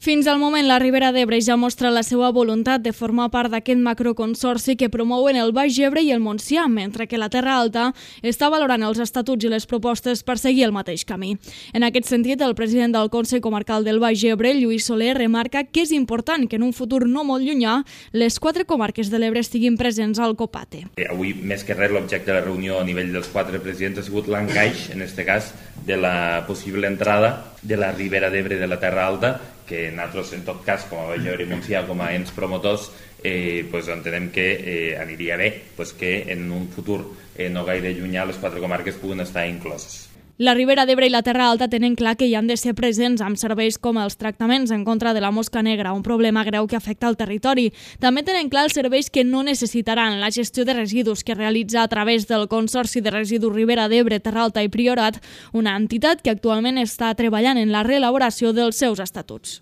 Fins al moment, la Ribera d'Ebre ja mostra la seva voluntat de formar part d'aquest macroconsorci que promouen el Baix Ebre i el Montsià, mentre que la Terra Alta està valorant els estatuts i les propostes per seguir el mateix camí. En aquest sentit, el president del Consell Comarcal del Baix Ebre, Lluís Soler, remarca que és important que en un futur no molt llunyà les 4 comarques de l'Ebre estiguin presents al COPATE. Avui, més que res, l'objecte de la reunió a nivell dels 4 presidents ha sigut l'encaix, en aquest cas, de la possible entrada de la Ribera d'Ebre de la Terra Alta, que nosaltres, en tot cas, com a Baix Ebre i Montsià, com a ens promotors, entenem que aniria bé que en un futur no gaire llunyà les 4 comarques puguen estar incloses. La Ribera d'Ebre i la Terra Alta tenen clar que hi han de ser presents amb serveis com els tractaments en contra de la mosca negra, un problema greu que afecta el territori. També tenen clar els serveis que no necessitaran, la gestió de residus que realitza a través del Consorci de Residus Ribera d'Ebre, Terra Alta i Priorat, una entitat que actualment està treballant en la reelaboració dels seus estatuts.